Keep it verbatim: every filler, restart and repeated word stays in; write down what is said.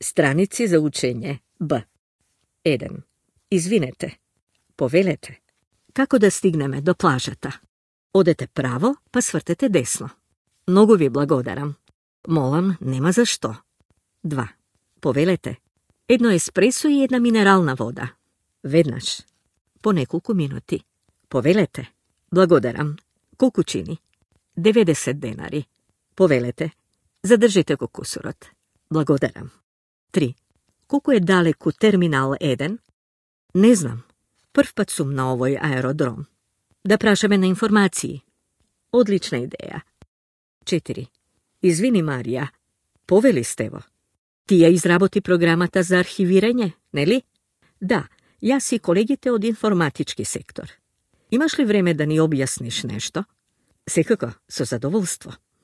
Страници за учење Б. еден. Извинете. Повелете. Како да стигнеме до плажата? Одете право, па свртете десно. Многу ви благодарам. Молам, нема за што. два. Повелете. Едно еспресо и една минерална вода. Веднаш. По неколку минути. Повелете. Благодарам. Колку чини? деветдесет денари. Повелете. Задржите го кусурот. Благодарам. три. Колку е далеку терминал еден? Не знам. Прв пат сум на овој аеродром. Да прашаме на информации. Одлична идеја. четири. Извини, Марија. Повели сте во. Ти ја изработи програмата за архивирање, нели? Да, јас и колегите од информатички сектор. Имаш ли време да ни објасниш нешто? Секако, со задоволство.